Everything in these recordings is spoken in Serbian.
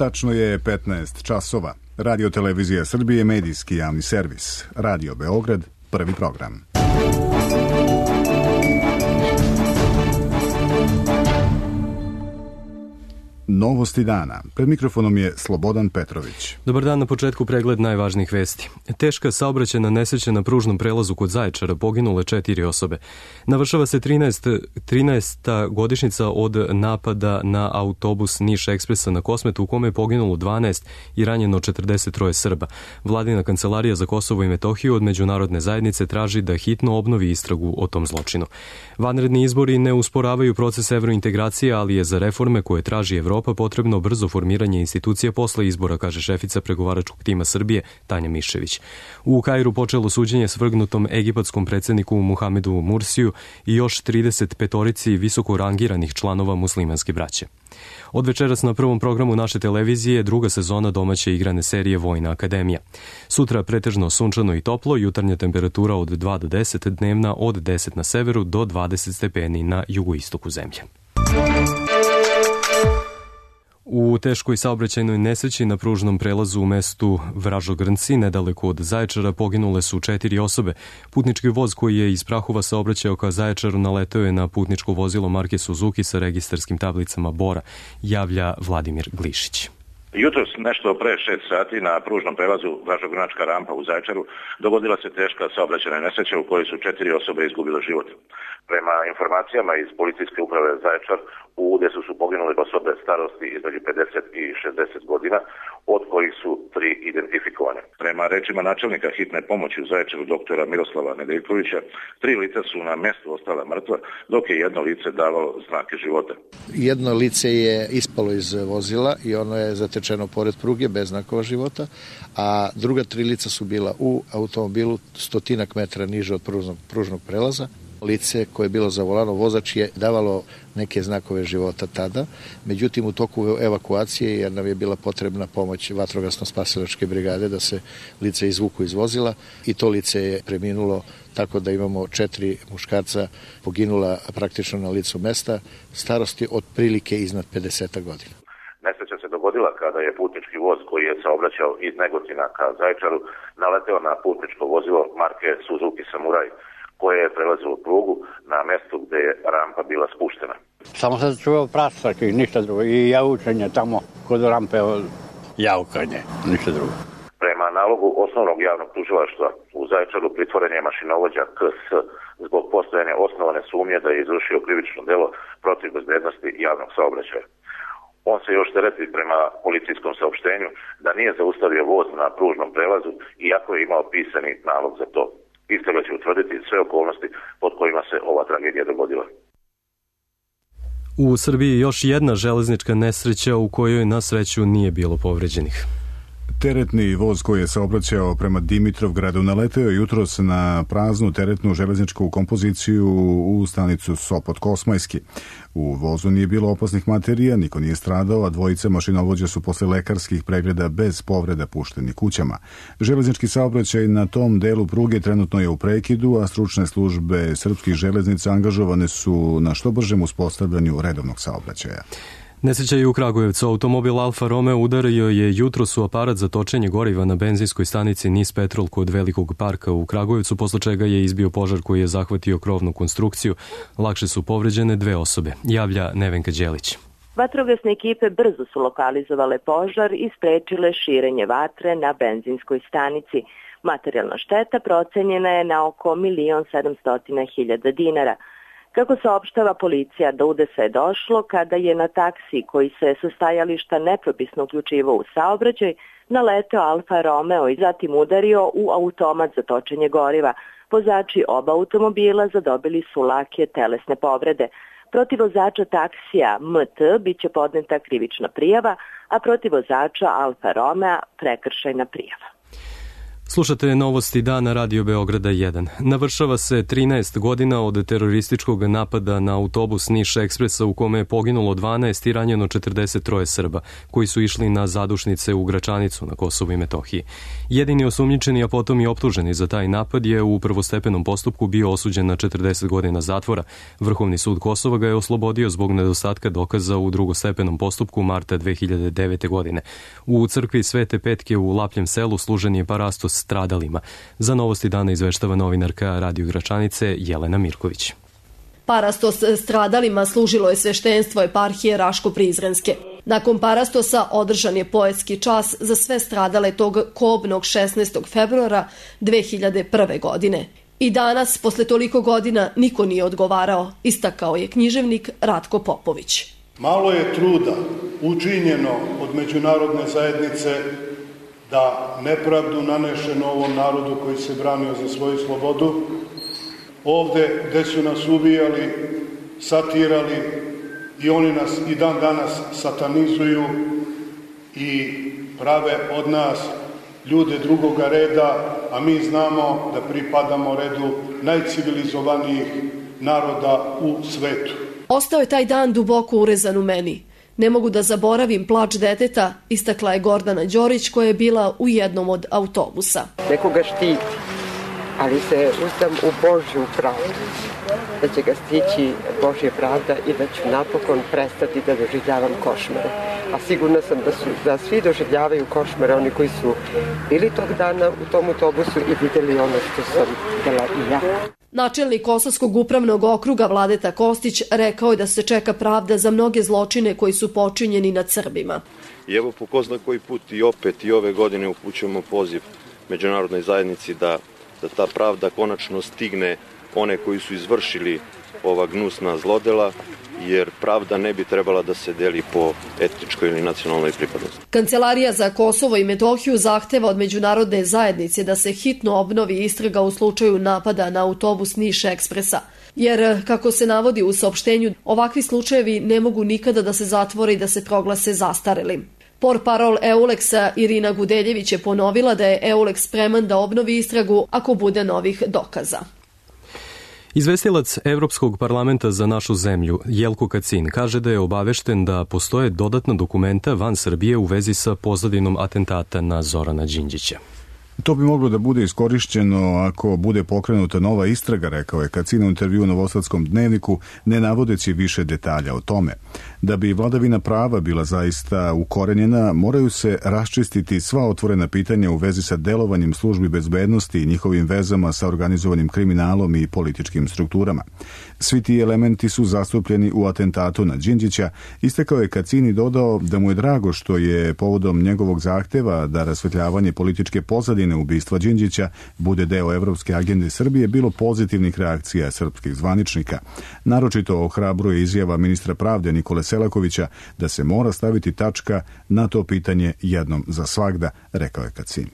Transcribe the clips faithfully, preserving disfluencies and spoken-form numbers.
Tačno je petnaest časova. Radio Televizija Srbije, medijski javni servis. Radio Beograd, prvi program. Novosti dana. Pred mikrofonom je Slobodan Petrović. Dobar dan, na početku pregled najvažnijih vesti. Teška saobraćajna nesreća na pružnom prelazu kod Zaječara, poginule četiri osobe. Navršava se trinaesta godišnjica od napada na autobus Niš Ekspresa na Kosmetu, u kome je poginulo dvanaest i ranjeno četrdeset troje Srba. Vladina kancelarija za Kosovo i Metohiju od međunarodne zajednice traži da hitno obnovi istragu o tom zločinu. Vanredni izbori ne usporavaju proces evrointegracije, ali je za reforme koje traži Evropa potrebno brzo formiranje institucija posle izbora, kaže šefica pregovaračkog tima Srbije Tanja Miščević. U Kairu počelo suđenje svrgnutom egipatskom predsjedniku Muhamedu Mursiju i još trideset petorici visoko rangiranih članova muslimanske braće. Od večeras na prvom programu naše televizije druga sezona domaće igrane serije Vojna akademija. Sutra pretežno sunčano i toplo, jutarnja temperatura od dva do deset, dnevna od deset na severu do dvadeset stepeni na jugoistoku zemlje. U teškoj saobraćajnoj nesreći na pružnom prelazu u mestu Vražogrnci, nedaleko od Zaječara, poginule su četiri osobe. Putnički voz koji je iz Prahova saobraćao ka Zaječaru naleteo je na putničko vozilo marke Suzuki sa registarskim tablicama Bora, javlja Vladimir Glišić. Jutros nešto pre šest sati na pružnom prelazu Vražogrnačka rampa u Zaječaru dogodila se teška saobraćajna nesreća u kojoj su četiri osobe izgubile život. Prema informacijama iz policijske uprave Zaječar, u udesu su poginule osobe starosti između pedeset i šezdeset godina, od kojih su tri identifikovane. Prema rečima načelnika hitne pomoći u Zaječaru doktora Miroslava Nedeljkovića, tri lica su na mestu ostala mrtva, dok je jedno lice davalo znake života. Jedno lice je ispalo iz vozila i ono je zatečeno pored pruge bez znakova života, a druga tri lica su bila u automobilu stotinak metra niže od pružnog, pružnog prelaza. Lice koje je bilo za volanom, vozač je davalo neke znakove života tada, međutim u toku evakuacije, jer nam je bila potrebna pomoć vatrogasno-spasilačke brigade da se lice izvuku iz vozila, i to lice je preminulo, tako da imamo četiri muškarca poginula praktično na licu mesta, starosti otprilike iznad pedeset godina. Nesreća se dogodila kada je putnički voz koji je saobraćao iz Negotina ka Zaječaru naleteo na putničko vozilo marke Suzuki Samurai, koje je prelazilo prugu na mestu gde je rampa bila spuštena. Samo sam čuo prasak i ništa drugo. I javučanje tamo kod rampe, javukanje, ništa drugo. Prema nalogu osnovnog javnog tužilaštva u Zaječaru pritvoren je mašinovođa K S zbog postojanja osnovane sumnje da je izvršio krivično delo protiv bezbednosti javnog saobraćaja. On se još tereti prema policijskom saopštenju da nije zaustavio voz na pružnom prelazu, iako je imao pisani nalog za to. Istraga će utvrditi sve okolnosti pod kojima se ova tragedija dogodila. U Srbiji još jedna železnička nesreća u kojoj na sreću nije bilo povređenih. Teretni voz koji je saobraćao prema Dimitrovgradu naleteo jutros na praznu teretnu železničku kompoziciju u stanicu Sopot Kosmajski. U vozu nije bilo opasnih materija, niko nije stradao, a dvojice mašinovođa su posle lekarskih pregleda bez povreda pušteni kućama. Železnički saobraćaj na tom delu pruge trenutno je u prekidu, a stručne službe srpskih železnica angažovane su na što bržem uspostavljanju redovnog saobraćaja. Nesreća je u Kragujevcu. Automobil Alfa Romeo udario je jutros u aparat za točenje goriva na benzinskoj stanici Nis Petrol kod Velikog parka u Kragujevcu, posle čega je izbio požar koji je zahvatio krovnu konstrukciju. Lakše su povređene dve osobe, javlja Nevenka Đelić. Vatrogasne ekipe brzo su lokalizovale požar i sprečile širenje vatre na benzinskoj stanici. Materijalna šteta procenjena je na oko milion sedamsto hiljada dinara. Kako saopštava policija, do udesa je došlo kada je na taksi koji se sa stajališta nepropisno uključivao u saobraćaj naleteo Alfa Romeo i zatim udario u automat za točenje goriva. Vozači oba automobila zadobili su lake telesne povrede. Protiv vozača taksija M T biće podneta krivična prijava, a protiv vozača Alfa Romea prekršajna prijava. Slušate novosti dana Radio Beograda jedan. Navršava se trinaest godina od terorističkog napada na autobus Niš Ekspresa u kome je poginulo dvanaest i ranjeno četrdeset troje Srba, koji su išli na zadušnice u Gračanicu na Kosovu i Metohiji. Jedini osumnjičeni, a potom i optuženi za taj napad je u prvostepenom postupku bio osuđen na četrdeset godina zatvora. Vrhovni sud Kosova ga je oslobodio zbog nedostatka dokaza u drugostepenom postupku marta dve hiljade devete. godine. U crkvi Svete Petke u Lapljem selu služen je parastos stradalima. Za novosti dana izveštava novinarka Radio Gračanice Jelena Mirković. Parastos stradalima služilo je sveštenstvo eparhije Raško-Prizrenske. Nakon parastosa održan je poetski čas za sve stradale tog kobnog šesnaestog februara dve hiljade prve. godine. I danas, posle toliko godina, niko nije odgovarao, istakao je književnik Ratko Popović. Malo je truda učinjeno od međunarodne zajednice da nepravdu nanešeno ovom narodu koji se branio za svoju slobodu, ovde gde su nas ubijali, satirali i oni nas i dan danas satanizuju i prave od nas ljude drugoga reda, a mi znamo da pripadamo redu najcivilizovanijih naroda u svetu. Ostao je taj dan duboko urezan u meni. Ne mogu da zaboravim plač deteta, istakla je Gordana Đorić koja je bila u jednom od autobusa. Nekoga štiti, ali se uzdam u Božju pravdu, da će ga stići Božja pravda i da ću napokon prestati da doživljavam košmare. A sigurna sam da, su, da svi doživljavaju košmare, oni koji su bili tog dana u tom autobusu i vidjeli ono što sam vidjela i ja. Načelnik Kosovskog upravnog okruga Vladeta Kostić rekao je da se čeka pravda za mnoge zločine koji su počinjeni nad Srbima. I evo po ko zna koji put i opet i ove godine upućujemo poziv međunarodnoj zajednici da, da ta pravda konačno stigne one koji su izvršili ova gnusna zlodela, jer pravda ne bi trebala da se deli po etničkoj ili nacionalnoj pripadnosti. Kancelarija za Kosovo i Metohiju zahteva od međunarodne zajednice da se hitno obnovi istraga u slučaju napada na autobus Niš Ekspresa. Jer, kako se navodi u saopštenju, ovakvi slučajevi ne mogu nikada da se zatvore i da se proglase zastarelim. Portparol Euleksa Irina Gudeljević je ponovila da je Euleks spreman da obnovi istragu ako bude novih dokaza. Izvestilac Evropskog parlamenta za našu zemlju, Jelko Kacin, kaže da je obavešten da postoje dodatna dokumenta van Srbije u vezi sa pozadinom atentata na Zorana Đinđića. To bi moglo da bude iskorišćeno ako bude pokrenuta nova istraga, rekao je Kacin u intervju u Novosadskom dnevniku, ne navodeći više detalja o tome. Da bi vladavina prava bila zaista ukorenjena, moraju se raščistiti sva otvorena pitanja u vezi sa delovanjem službi bezbednosti i njihovim vezama sa organizovanim kriminalom i političkim strukturama. Svi ti elementi su zastupljeni u atentatu na Đinđića, istakao je Kacin i dodao da mu je drago što je povodom njegovog zahteva da rasvetljavanje političke pozadine ubistva Đinđića bude deo evropske agende Srbije bilo pozitivnih reakcija srpskih zvaničnika. Naročito ohrabruje izjava ministra pravde Nikole Selakovića da se mora staviti tačka na to pitanje jednom za svagda, rekao je Kacin.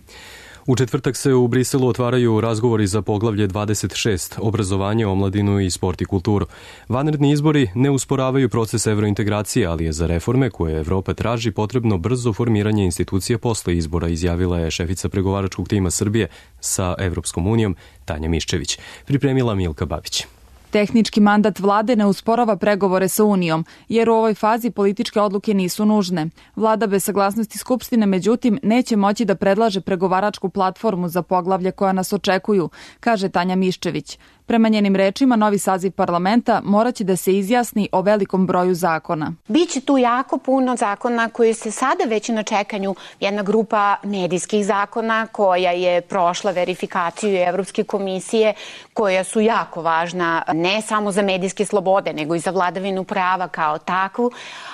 U četvrtak se u Briselu otvaraju razgovori za poglavlje dvadeset šest, obrazovanje, omladinu i sport i kulturu. Vanredni izbori ne usporavaju proces evrointegracije, ali je za reforme koje Evropa traži potrebno brzo formiranje institucija posle izbora, izjavila je šefica pregovaračkog tima Srbije sa Evropskom unijom Tanja Miščević. Pripremila Milka Babić. Tehnički mandat vlade ne usporava pregovore sa Unijom, jer u ovoj fazi političke odluke nisu nužne. Vlada bez saglasnosti Skupštine, međutim, neće moći da predlaže pregovaračku platformu za poglavlje koja nas očekuju, kaže Tanja Miščević. Prema njenim rečima, novi saziv parlamenta moraće da se izjasni o velikom broju zakona. Biće tu jako puno zakona koji se sada već na čekanju. Jedna grupa medijskih zakona koja je prošla verifikaciju Evropske komisije, koja su jako važna ne samo za medijske slobode, nego i za vladavinu prava kao takvu,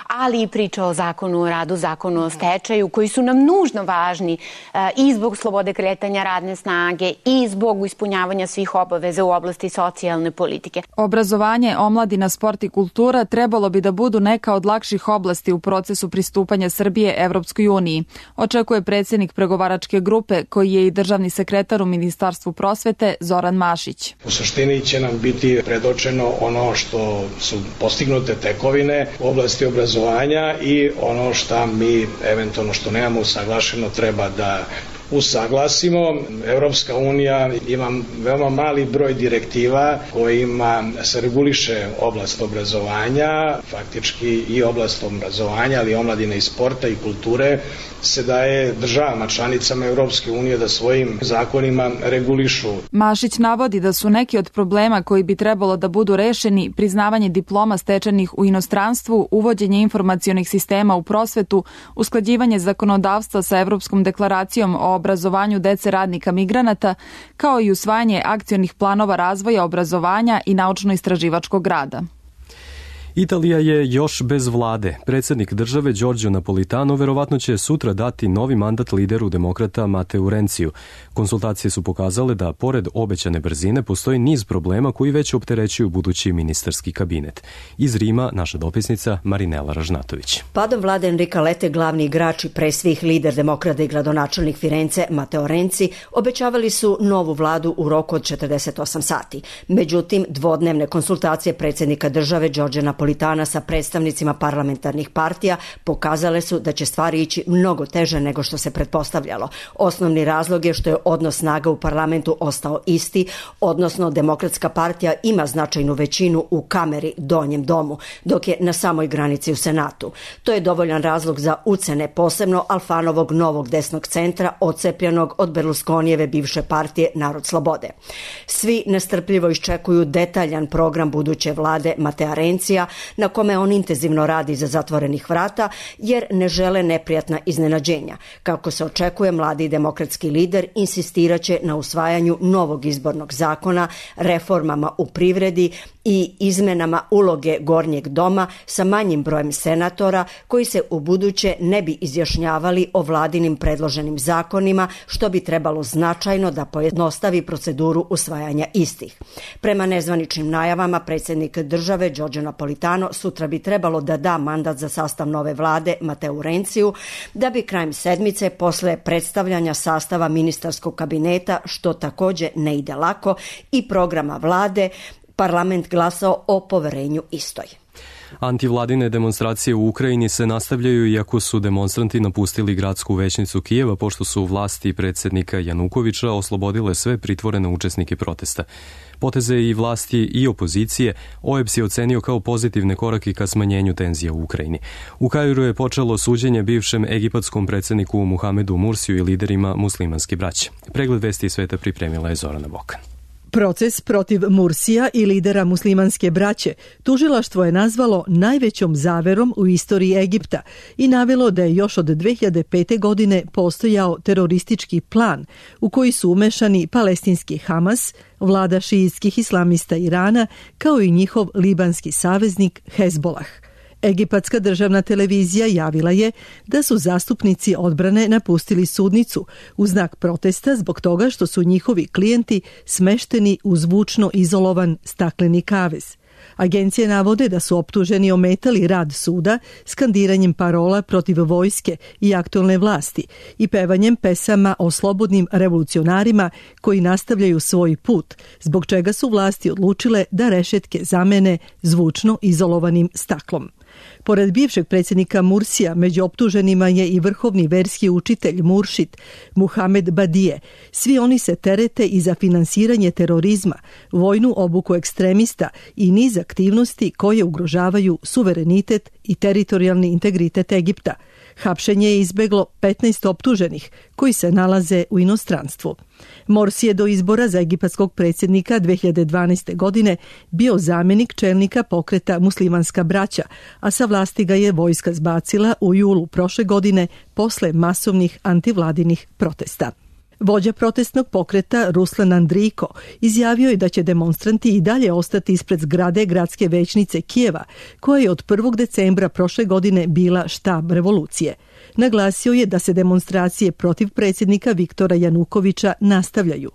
ali i priča o zakonu o radu, zakonu o stečaju, koji su nam nužno važni i zbog slobode kretanja radne snage i zbog ispunjavanja svih obaveza u oblasti socijalne politike. Obrazovanje, omladina, sport i kultura trebalo bi da budu neka od lakših oblasti u procesu pristupanja Srbije Evropskoj uniji, očekuje predsjednik pregovaračke grupe, koji je i državni sekretar u Ministarstvu prosvete Zoran Mašić. U suštini će nam biti predočeno ono što su postignute tekovine u oblasti obrazovanja i ono što mi eventualno što nemamo usaglašeno treba da usaglasimo. Evropska unija ima veoma mali broj direktiva kojima se reguliše oblast obrazovanja, faktički i oblast obrazovanja, ali i omladine i sporta i kulture se daje državama članicama Evropske unije da svojim zakonima regulišu. Mašić navodi da su neki od problema koji bi trebalo da budu rešeni priznavanje diploma stečenih u inostranstvu, uvođenje informacionih sistema u prosvetu, usklađivanje zakonodavstva sa Evropskom deklaracijom o obrazovanju dece radnika migranata, kao i usvajanje akcionih planova razvoja obrazovanja i naučno-istraživačkog rada. Italija je još bez vlade. Predsjednik države Giorgio Napolitano verovatno će sutra dati novi mandat lideru demokrata Mateu Renciju. Konsultacije su pokazale da, pored obećane brzine, postoji niz problema koji već opterećuju budući ministarski kabinet. Iz Rima naša dopisnica Marinela Ražnatović. Padom vlade Enrika Lete, glavni igrač i pre svih lider demokrata i gradonačelnik Firence Mateo Renci obećavali su novu vladu u roku od četrdeset osam sati. Međutim, dvodnevne konsultacije predsjednika države Giorgia Napolitana Napolitana sa predstavnicima parlamentarnih partija pokazale su da će stvari ići mnogo teže nego što se pretpostavljalo. Osnovni razlog je što je odnos snaga u parlamentu ostao isti, odnosno Demokratska partija ima značajnu većinu u kameri, donjem domu, dok je na samoj granici u Senatu. To je dovoljan razlog za ucene, posebno Alfanovog novog desnog centra, odcepljenog od Berlusconijeve bivše partije Narod slobode. Svi nestrpljivo iščekuju detaljan program buduće vlade Matea Rencija, na kome on intenzivno radi za zatvorenih vrata, jer ne žele neprijatna iznenađenja. Kako se očekuje, mladi demokratski lider insistiraće na usvajanju novog izbornog zakona, reformama u privredi i izmenama uloge gornjeg doma sa manjim brojem senatora koji se u buduće ne bi izjašnjavali o vladinim predloženim zakonima, što bi trebalo značajno da pojednostavi proceduru usvajanja istih. Prema nezvaničnim najavama, predsjednik države Giorgio Napolitano sutra bi trebalo da da mandat za sastav nove vlade Mateu Renciju, da bi krajem sedmice posle predstavljanja sastava ministarskog kabineta, što takođe ne ide lako, i programa vlade, parlament glasao o poverenju istoj. Antivladine demonstracije u Ukrajini se nastavljaju iako su demonstranti napustili gradsku većnicu Kijeva pošto su vlasti predsjednika Janukovića oslobodile sve pritvorene učesnike protesta. Poteze i vlasti i opozicije O E B S je ocenio kao pozitivne korake ka smanjenju tenzija u Ukrajini. U Kairu je počelo suđenje bivšem egipatskom predsjedniku Muhamedu Mursiju i liderima muslimanske braće. Pregled vesti sveta pripremila je Zorana Bokan. Proces protiv Mursija i lidera muslimanske braće tužilaštvo je nazvalo najvećom zaverom u istoriji Egipta i navelo da je još od dve hiljade pete. godine postojao teroristički plan u koji su umešani palestinski Hamas, vlada šiitskih islamista Irana, kao i njihov libanski saveznik Hezbolah. Egipatska državna televizija javila je da su zastupnici odbrane napustili sudnicu u znak protesta zbog toga što su njihovi klijenti smešteni u zvučno izolovan stakleni kavez. Agencije navode da su optuženi ometali rad suda skandiranjem parola protiv vojske i aktualne vlasti i pevanjem pesama o slobodnim revolucionarima koji nastavljaju svoj put, zbog čega su vlasti odlučile da rešetke zamene zvučno izolovanim staklom. Pored bivšeg predsjednika Mursija, među optuženima je i vrhovni verski učitelj Muršid Muhamed Badije. Svi oni se terete i za finansiranje terorizma, vojnu obuku ekstremista i niz aktivnosti koje ugrožavaju suverenitet i teritorijalni integritet Egipta. Hapšenje je izbeglo petnaest optuženih koji se nalaze u inostranstvu. Morsi je do izbora za egipatskog predsjednika dve hiljade dvanaeste. godine bio zamjenik čelnika pokreta Muslimanska braća, a sa vlasti ga je vojska zbacila u julu prošle godine posle masovnih antivladinih protesta. Vođa protestnog pokreta Ruslan Andriko izjavio je da će demonstranti i dalje ostati ispred zgrade gradske većnice Kijeva, koja je od prvog decembra prošle godine bila štab revolucije. Naglasio je da se demonstracije protiv predsjednika Viktora Janukovića nastavljaju.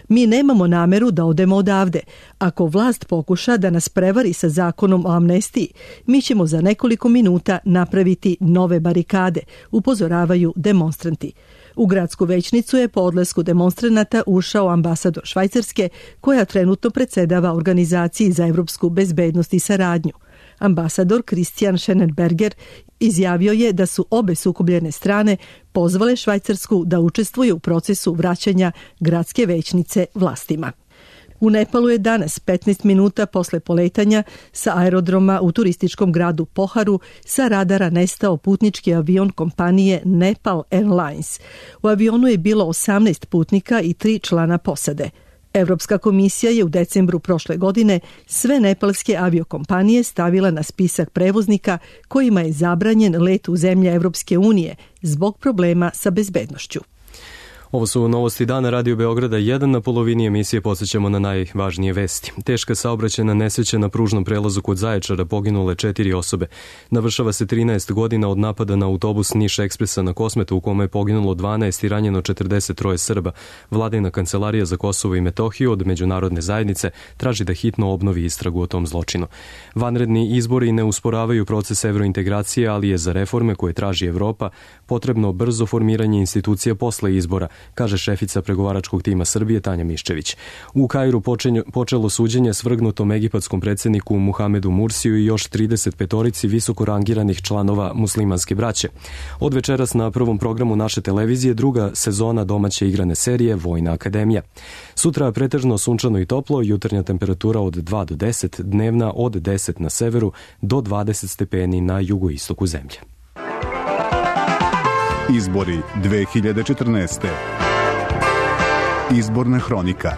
Mi nemamo nameru da odemo odavde. Ako vlast pokuša da nas prevari sa zakonom o amnestiji, mi ćemo za nekoliko minuta napraviti nove barikade, upozoravaju demonstranti. U gradsku većnicu je po odlasku demonstranata ušao ambasador Švajcarske, koja trenutno predsedava Organizaciji za evropsku bezbednost i saradnju. Ambasador Christian Schenenberger izjavio je da su obe sukobljene strane pozvale Švajcarsku da učestvuje u procesu vraćanja gradske većnice vlastima. U Nepalu je danas, petnaest minuta posle poletanja sa aerodroma u turističkom gradu Poharu, sa radara nestao putnički avion kompanije Nepal Airlines. U avionu je bilo osamnaest putnika i tri člana posade. Evropska komisija je u decembru prošle godine sve nepalske aviokompanije stavila na spisak prevoznika kojima je zabranjen let u zemlje Evropske unije zbog problema sa bezbednošću. Ovo su novosti dana Radio Beograda jedan. Na polovini emisije podsjećamo na najvažnije vesti. Teška saobraćajna nesreća na pružnom prelazu kod Zaječara, poginule četiri osobe. Navršava se trinaest godina od napada na autobus Niš Ekspresa na Kosmetu u kome je poginulo dvanaest i ranjeno četrdeset troje Srba. Vladina kancelarija za Kosovo i Metohiju od međunarodne zajednice traži da hitno obnovi istragu o tom zločinu. Vanredni izbori ne usporavaju proces evrointegracije, ali je za reforme koje traži Evropa potrebno brzo formiranje institucija posle izbora, kaže šefica pregovaračkog tima Srbije Tanja Miščević. U Kairu počelo suđenje svrgnutom egipatskom predsjedniku Muhamedu Mursiju i još trideset petorici visoko rangiranih članova muslimanske braće. Od večeras na prvom programu naše televizije druga sezona domaće igrane serije Vojna akademija. Sutra pretežno sunčano i toplo, jutarnja temperatura od dva do deset, dnevna od deset na severu do dvadeset stepeni na jugoistoku zemlje. Izbori dve hiljade četrnaeste. Izborna hronika.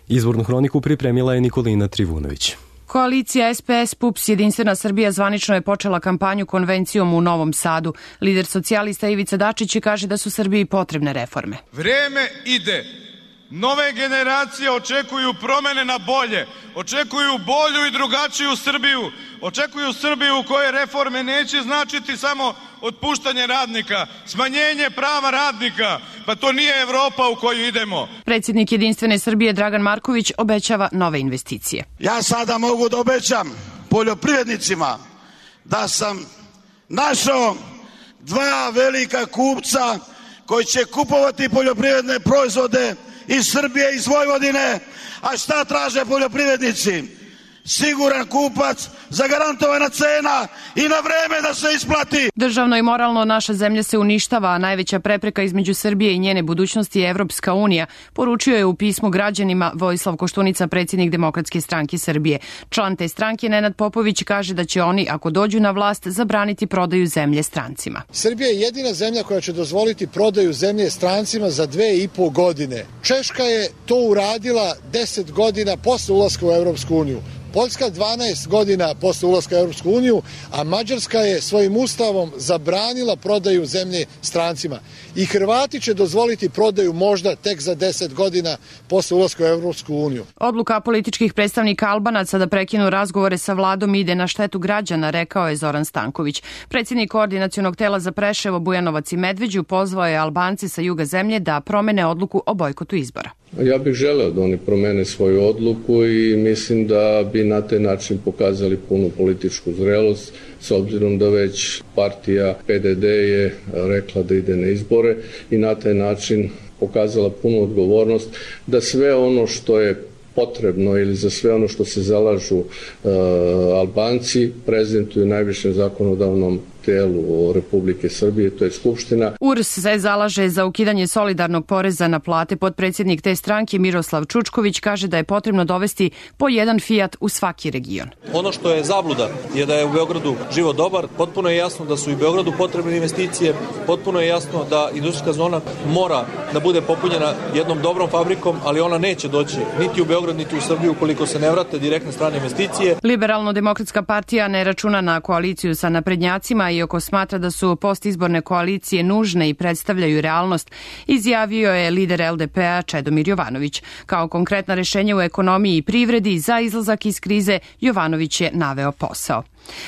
Izbornu hroniku pripremila je Nikolina Trivunović. Koalicija S P S P U P S Jedinstvena Srbija zvanično je počela kampanju konvencijom u Novom Sadu. Lider socijalista Ivica Dačić kaže da su Srbiji potrebne reforme. Vreme ide. Nove generacije očekuju promene na bolje, očekuju bolju i drugačiju Srbiju, očekuju Srbiju u kojoj reforme neće značiti samo otpuštanje radnika, smanjenje prava radnika, pa to nije Evropa u koju idemo. Predsjednik Jedinstvene Srbije Dragan Marković obećava nove investicije. Ja sada mogu da obećam poljoprivrednicima da sam našao dva velika kupca koji će kupovati poljoprivredne proizvode iz Srbije, iz Vojvodine. A šta traže poljoprivrednici? Siguran kupac, zagarantovana cena i na vreme da se isplati. Državno i moralno naša zemlja se uništava, a najveća prepreka između Srbije i njene budućnosti je Evropska unija, poručio je u pismu građanima Vojislav Koštunica, predsjednik Demokratske stranke Srbije. Član te stranke Nenad Popović kaže da će oni, ako dođu na vlast, zabraniti prodaju zemlje strancima. Srbija je jedina zemlja koja će dozvoliti prodaju zemlje strancima za dve i po godine. Češka je to uradila deset godina posle ulaska u Evropsku uniju. Poljska dvanaest godina posle ulaska u Evropsku uniju, a Mađarska je svojim ustavom zabranila prodaju zemlje strancima. I Hrvati će dozvoliti prodaju možda tek za deset godina posle ulaska u Evropsku uniju. Odluka političkih predstavnika Albanaca da prekinu razgovore sa vladom ide na štetu građana, rekao je Zoran Stanković. Predsjednik koordinacionog tela za Preševo, Bujanovac i Medveđu pozvao je Albance sa juga zemlje da promene odluku o bojkotu izbora. Ja bih želeo da oni promene svoju odluku i mislim da bi na taj način pokazali punu političku zrelost, s obzirom da već partija P D D je rekla da ide na izbore i na taj način pokazala punu odgovornost da sve ono što je potrebno ili za sve ono što se zalažu uh, Albanci prezentuju najvišem zakonodavnom telu Republike Srbije, to je Skupština. U R S se zalaže za ukidanje solidarnog poreza na plate. Potpredsjednik te stranke Miroslav Čučković kaže da je potrebno dovesti po jedan Fiat u svaki region. Ono što je zabluda je da je u Beogradu život dobar, potpuno je jasno da su i Beogradu potrebne investicije, potpuno je jasno da industrijska zona mora da bude popunjena jednom dobrom fabrikom, ali ona neće doći niti u Beograd, niti u Srbiju ukoliko se ne vrate direktne strane investicije. Liberalno-demokratska partija ne računa na koaliciju sa naprednjacima i iako smatra da su postizborne koalicije nužne i predstavljaju realnost, izjavio je lider L D P-a Čedomir Jovanović. Kao konkretna rešenja u ekonomiji i privredi za izlazak iz krize, Jovanović je naveo posao.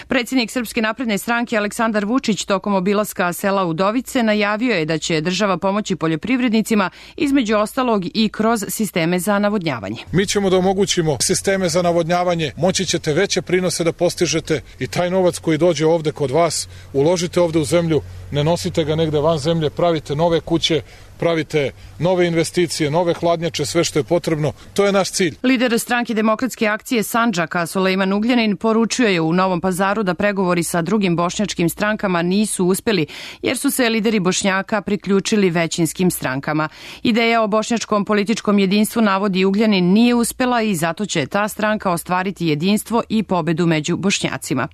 Predsjednik Srpske napredne stranke Aleksandar Vučić tokom obilaska sela Udovice najavio je da će država pomoći poljoprivrednicima, između ostalog i kroz sisteme za navodnjavanje. Mi ćemo da omogućimo sisteme za navodnjavanje, moći ćete veće prinose da postižete i taj novac koji dođe ovde kod vas, uložite ovde u zemlju, ne nosite ga negde van zemlje, pravite nove kuće, pravite nove investicije, nove hladnjače, sve što je potrebno. To je naš cilj. Lider stranke Demokratske akcije Sandžaka Sulejman Ugljanin poručuje u Novom Pazaru da pregovori sa drugim bošnjačkim strankama nisu uspeli jer su se lideri Bošnjaka priključili većinskim strankama. Ideja o bošnjačkom političkom jedinstvu, navodi Ugljanin, nije uspela i zato će ta stranka ostvariti jedinstvo i pobedu među Bošnjacima.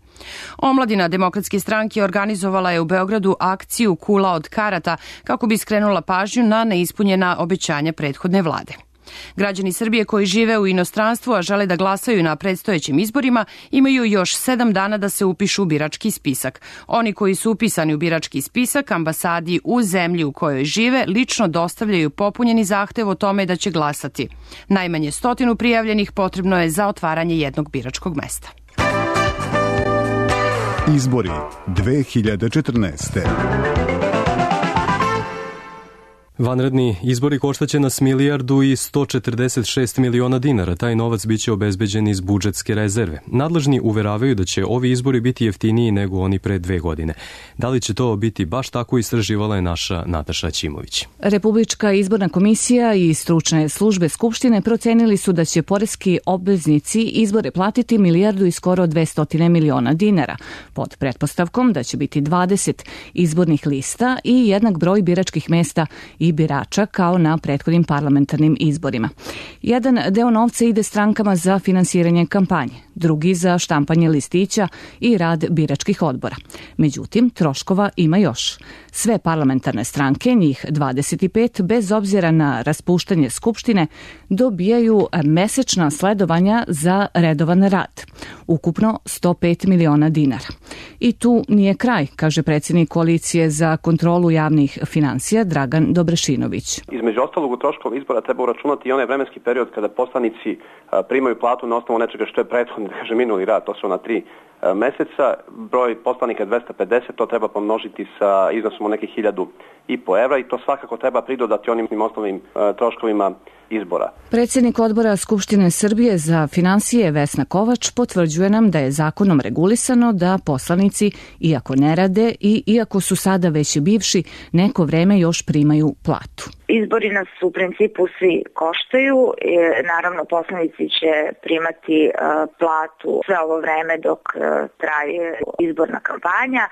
Omladina Demokratske stranke organizovala je u Beogradu akciju Kula od karata kako bi skrenula pažnju na neispunjena obećanja prethodne vlade. Građani Srbije koji žive u inostranstvu, a žele da glasaju na predstojećim izborima, imaju još sedam dana da se upišu u birački spisak. Oni koji su upisani u birački spisak ambasadi u zemlji u kojoj žive lično dostavljaju popunjeni zahtev o tome da će glasati. Najmanje stotinu prijavljenih potrebno je za otvaranje jednog biračkog mesta. Izbori dve hiljade četrnaeste. Vanredni izbori koštaće nas milijardu i sto četrdeset šest miliona dinara. Taj novac biće obezbeđen iz budžetske rezerve. Nadležni uveravaju da će ovi izbori biti jeftiniji nego oni pre dve godine. Da li će to biti baš tako, istraživala je naša Nataša Ćimović. Republička izborna komisija i stručne službe Skupštine procenili su da će poreski obveznici izbore platiti milijardu i skoro dvesta miliona dinara, pod pretpostavkom da će biti dvadeset izbornih lista i jednak broj biračkih mesta i birača kao na prethodnim parlamentarnim izborima. Jedan deo novca ide strankama za finansiranje kampanje, drugi za štampanje listića i rad biračkih odbora. Međutim, troškova ima još. Sve parlamentarne stranke, njih dvadeset pet, bez obzira na raspuštanje Skupštine, dobijaju mesečna sledovanja za redovan rad. Ukupno sto pet miliona dinara. I tu nije kraj, kaže predsjednik Koalicije za kontrolu javnih finansija Dragan Dobrešinović. Između ostalog, u troškova izbora treba uračunati i onaj vremenski period kada poslanici primaju platu na osnovu nečega što je prethodni, da kaže, minuli rad, to su na tri meseca. Broj poslanika je dvesta pedeset, to treba pomnožiti sa iznosom od nekih hiljadu i po evra i to svakako treba pridodati onim osnovnim troškovima izbora. Predsjednik odbora Skupštine Srbije za finansije Vesna Kovač potvrđuje nam da je zakonom regulisano da poslanici, iako ne rade i iako su sada već bivši, neko vreme još primaju platu. Izbori nas u principu svi koštaju, naravno poslanici će primati platu sve ovo vreme dok traje izborna kampanja,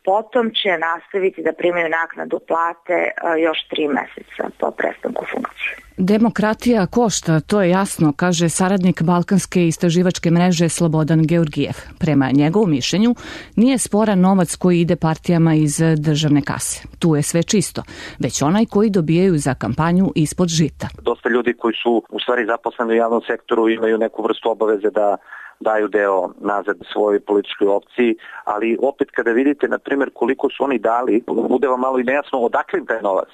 potom će nastaviti da primaju naknadu plate još tri meseca po prestanku funkcije. Demokratija košta, to je jasno, kaže saradnik Balkanske istraživačke mreže Slobodan Georgijev. Prema njegovom mišljenju nije sporan novac koji ide partijama iz državne kase. Tu je sve čisto, već onaj koji dobijaju za kampanju ispod žita. Dosta ljudi koji su u stvari zaposleni u javnom sektoru imaju neku vrstu obaveze da daju deo nazad svojoj političkoj opciji, ali opet kada vidite, na primjer, koliko su oni dali, bude vam malo i nejasno odakle im taj novac.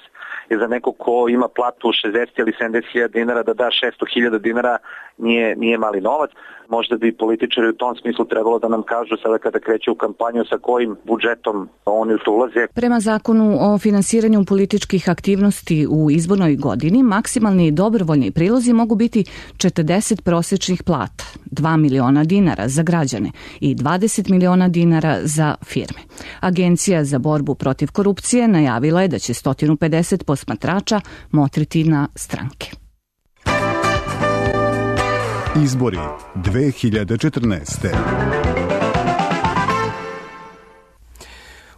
Jer za neko ko ima platu šezdeset ili sedamdeset hiljada dinara da da šesto hiljada dinara nije, nije mali novac. Možda bi političari u tom smislu trebalo da nam kažu sada kada kreće u kampanju sa kojim budžetom oni u to ulaze. Prema zakonu o finansiranju političkih aktivnosti u izbornoj godini, maksimalni dobrovoljni prilozi mogu biti četrdeset prosječnih plata, dva miliona dinara za građane i dvadeset miliona dinara za firme. Agencija za borbu protiv korupcije najavila je da će sto pedeset posmatrača motriti na stranke. Izbori dve hiljade četrnaeste.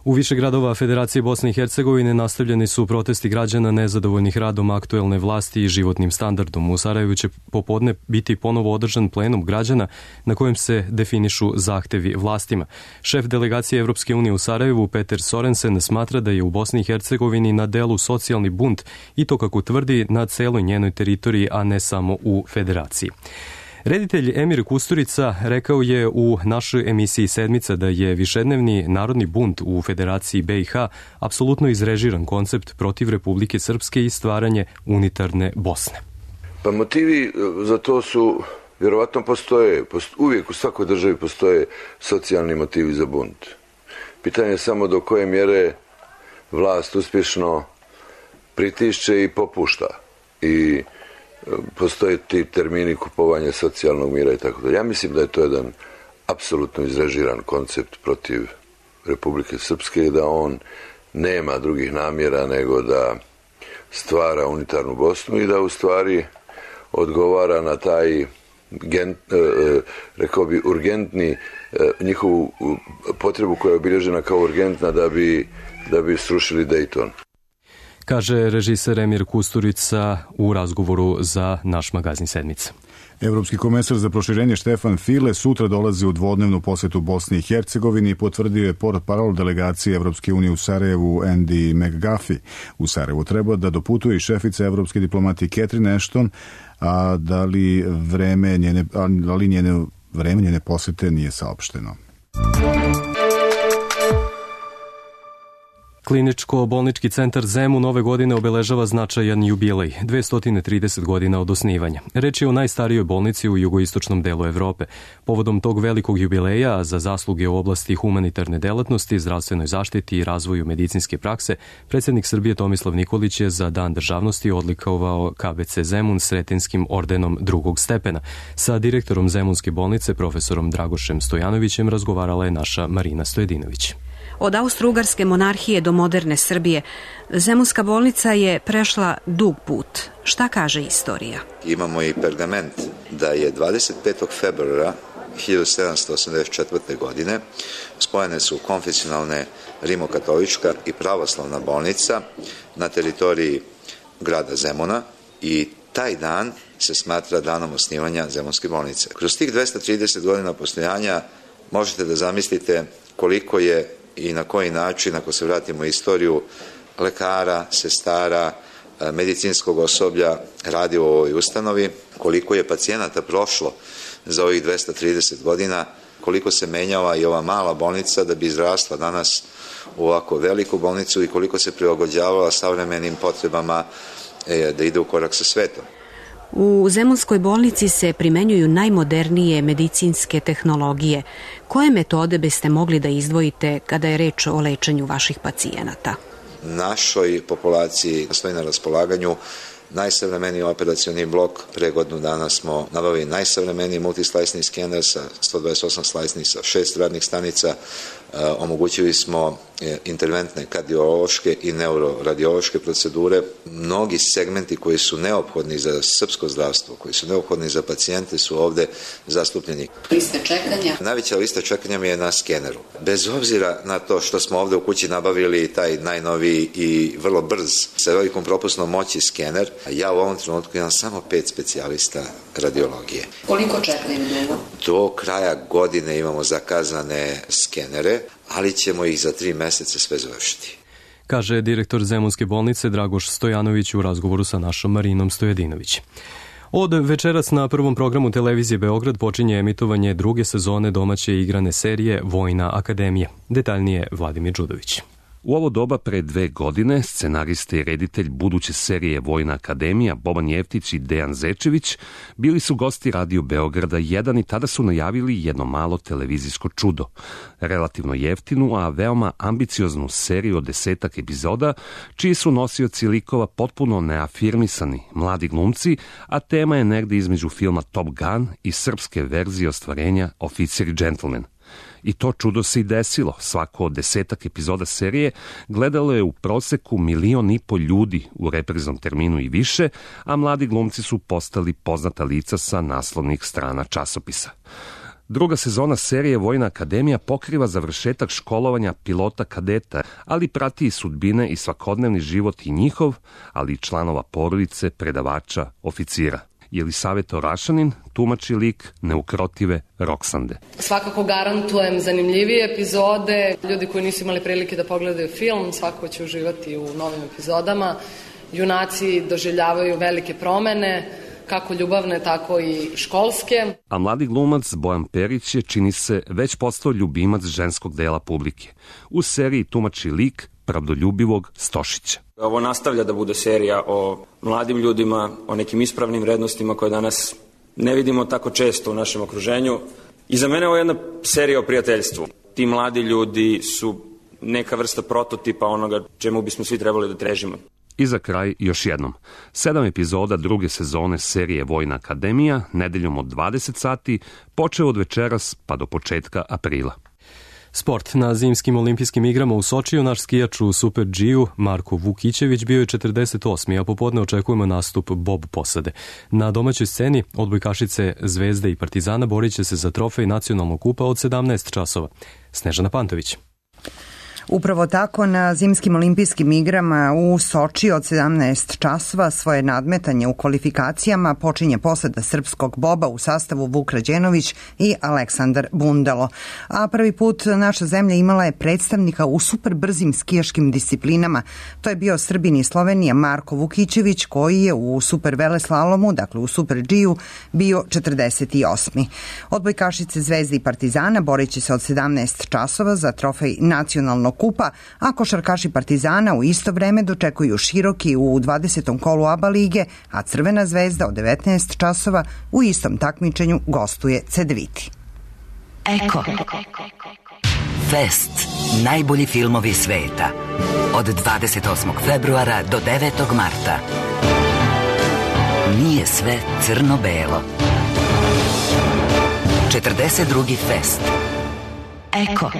U više gradova Federacije Bosne i Hercegovine nastavljeni su protesti građana nezadovoljnih radom aktuelne vlasti i životnim standardom. U Sarajevu će popodne biti ponovo održan plenum građana na kojem se definišu zahtevi vlastima. Šef delegacije Evropske unije u Sarajevu, Peter Sorensen, smatra da je u Bosni i Hercegovini na delu socijalni bunt i to, kako tvrdi, na celoj njenoj teritoriji, a ne samo u Federaciji. Reditelj Emir Kusturica rekao je u našoj emisiji Sedmica da je višednevni narodni bunt u Federaciji B i H apsolutno izrežiran koncept protiv Republike Srpske i stvaranje unitarne Bosne. Pa motivi za to su, vjerovatno postoje, uvijek u svakoj državi postoje socijalni motivi za bunt. Pitanje je samo do koje mjere vlast uspješno pritišće i popušta. I postoje ti termini kupovanja socijalnog mira i tako dalje. Ja mislim da je to jedan apsolutno izrežiran koncept protiv Republike Srpske i da on nema drugih namjera nego da stvara unitarnu Bosnu i da u stvari odgovara na taj gen, rekao bi urgentni njihovu potrebu koja je obilježena kao urgentna da bi, da bi srušili Dayton. Kaže režiser Emir Kusturica u razgovoru za naš magazin Sedmica. Evropski komesar za proširenje Štefan File sutra dolazi u dvodnevnu posetu Bosni i Hercegovini i potvrdio je portparol delegacije Evropske unije u Sarajevu Andy McGuffey. U Sarajevu treba da doputuje i šefica evropske diplomatije Catherine Ashton, a da li vreme njene, a li njene, vreme njene posete nije saopšteno. Kliničko-bolnički centar Zemun ove godine obeležava značajan jubilej, dvesta trideset godina od osnivanja. Reč je o najstarijoj bolnici u jugoistočnom delu Evrope. Povodom tog velikog jubileja za zasluge u oblasti humanitarne delatnosti, zdravstvenoj zaštiti i razvoju medicinske prakse, predsjednik Srbije Tomislav Nikolić je za Dan državnosti odlikovao K B C Zemun Sretinskim ordenom drugog stepena. Sa direktorom Zemunske bolnice, profesorom Dragošem Stojanovićem, razgovarala je naša Marina Stojedinović. Od Austro-Ugarske monarhije do moderne Srbije, Zemunska bolnica je prešla dug put. Šta kaže istorija? Imamo i pergament da je dvadeset petog februara hiljadu sedamsto osamdeset četvrte. godine spojene su konfesionalne rimokatolička i pravoslavna bolnica na teritoriji grada Zemuna i taj dan se smatra danom osnivanja Zemunske bolnice. Kroz tih dvesta trideset godina postojanja možete da zamislite koliko je i na koji način, ako se vratimo u istoriju, lekara, sestara, medicinskog osoblja radi u ovoj ustanovi, koliko je pacijenata prošlo za ovih dvesta trideset godina, koliko se menjala i ova mala bolnica da bi izrasla danas u ovako veliku bolnicu i koliko se prilagođavala savremenim potrebama da ide u korak sa svetom. U Zemunskoj bolnici se primenjuju najmodernije medicinske tehnologije. Koje metode biste mogli da izdvojite kada je reč o lečenju vaših pacijenata? Našoj populaciji stoji na raspolaganju najsavremeniji operacioni blok. Pre godinu dana smo nabavili najsavremeniji multislajsni skener sa sto dvadeset osam slajsnih sa šest radnih stanica. E, omogućili smo interventne kardiološke i neuroradiološke procedure. Mnogi segmenti koji su neophodni za srpsko zdravstvo, koji su neophodni za pacijente su ovde zastupljeni. Liste čekanja? Najveća lista čekanja mi je na skeneru. Bez obzira na to što smo ovde u kući nabavili taj najnoviji i vrlo brz sa velikom propusnom moći skener, ja u ovom trenutku imam samo pet specijalista radiologije. Koliko čekaju dugo? Do kraja godine imamo zakazane skenere, ali ćemo ih za tri meseca sve završiti. Kaže direktor Zemunske bolnice Dragoš Stojanović u razgovoru sa našom Marinom Stojedinović. Od večeras na prvom programu televizije Beograd počinje emitovanje druge sezone domaće igrane serije Vojna akademija. Detaljnije Vladimir Đudović. U ovo doba pre dve godine scenarista i reditelj buduće serije Vojna akademija Boban Jeftić i Dejan Zečević bili su gosti Radio Beograda jedan i tada su najavili jedno malo televizijsko čudo. Relativno jeftinu, a veoma ambicioznu seriju od desetak epizoda, čiji su nosioci likova potpuno neafirmisani, mladi glumci, a tema je negde između filma Top Gun i srpske verzije ostvarenja Oficir i džentlmen. I to čudo se i desilo. Svako od desetak epizoda serije gledalo je u proseku milion i po ljudi u repriznom terminu i više, a mladi glumci su postali poznata lica sa naslovnih strana časopisa. Druga sezona serije Vojna akademija pokriva završetak školovanja pilota kadeta, ali prati i sudbine i svakodnevni život i njihov, ali i članova porodice, predavača, oficira. Jelisaveta Orašanin tumači lik neukrotive Roksande. Svakako garantujem zanimljivije epizode. Ljudi koji nisu imali prilike da pogledaju film, svakako će uživati u novim epizodama. Junaci doživljavaju velike promene, kako ljubavne, tako i školske. A mladi glumac Bojan Perić je, čini se, već postao ljubimac ženskog dela publike. U seriji tumači lik pravdoljubivog Stošića. Ovo nastavlja da bude serija o mladim ljudima, o nekim ispravnim vrednostima koje danas ne vidimo tako često u našem okruženju. I za mene ovo je jedna serija o prijateljstvu. Ti mladi ljudi su neka vrsta prototipa onoga čemu bismo svi trebali da težimo. I za kraj još jednom. Sedam epizoda druge sezone serije Vojna akademija, nedeljom od dvadeset sati, počeo od večeras pa do početka aprila. Sport. Na zimskim olimpijskim igrama u Sočiju naš skijač u Super G-u Marko Vukićević bio je četrdeset osmi, a popodne očekujemo nastup bob posade. Na domaćoj sceni odbojkašice Zvezde i Partizana borit će se za trofej nacionalnog kupa od sedamnaest časova. Snežana Pantović. Upravo tako, na zimskim olimpijskim igrama u Soči od sedamnaest časova svoje nadmetanje u kvalifikacijama počinje posada srpskog boba u sastavu Vuk Rađenović i Aleksandar Bundalo. A prvi put naša zemlja imala je predstavnika u super brzim skijaškim disciplinama. To je bio Srbin iz Slovenije Marko Vukićević, koji je u super veleslalomu, dakle u Super G-u, bio četrdeset osmi. Odbojkašice Zvezde i Partizana borit će se od sedamnaest časova za trofej nacionalnog kupa, a košarkaši Partizana u isto vreme dočekuju Široki u dvadesetom kolu ABA lige, a Crvena zvezda od devetnaest časova u istom takmičenju gostuje Cedeviti. Eko. Fest. Najbolji filmovi sveta. Od dvadeset osmog februara do devetog marta. Nije sve crno-belo. četrdeset drugi Fest. Eko.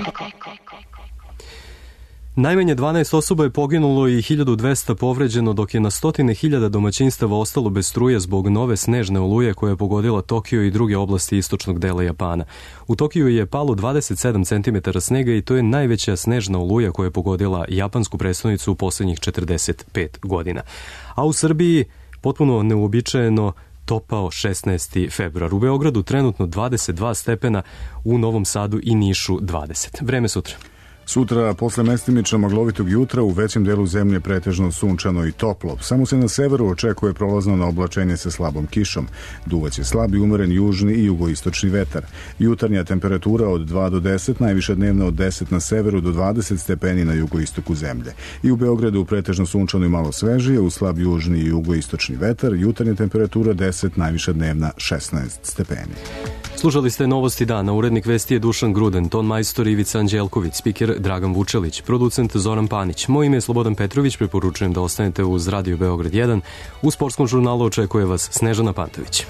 Najmanje dvanaest osoba je poginulo i hiljadu dvesta povređeno, dok je na stotine hiljada domaćinstava ostalo bez struje zbog nove snežne oluje koja je pogodila Tokio i druge oblasti istočnog dela Japana. U Tokiju je palo dvadeset sedam centimetara snega i to je najveća snežna oluja koja je pogodila japansku prestonicu u poslednjih četrdeset pet godina. A u Srbiji potpuno neuobičajeno topao šesnaesti februar. U Beogradu trenutno dvadeset dva stepena, u Novom Sadu i Nišu dvadeset. Vreme sutra. Sutra, posle mestimično maglovitog jutra, u većem delu zemlje pretežno sunčano i toplo. Samo se na severu očekuje prolazno na oblačenje sa slabom kišom. Duvaće slab i umeren južni i jugoistočni vetar. Jutarnja temperatura od dva do deset, najviša dnevna od deset na severu do dvadeset stepeni na jugoistoku zemlje. I u Beogradu pretežno sunčano i malo svežije, u slab južni i jugoistočni vetar. Jutarnja temperatura deset, najviša dnevna šesnaest stepeni. Slušali ste Novosti dana. Urednik vesti je Dušan Gruden, ton majstor Ivica Anđelković, spiker Dragan Vučelić, producent Zoran Panić. Moje ime je Slobodan Petrović, preporučujem da ostanete uz Radio Beograd jedan. U sportskom žurnalu očekuje vas Snežana Pantović.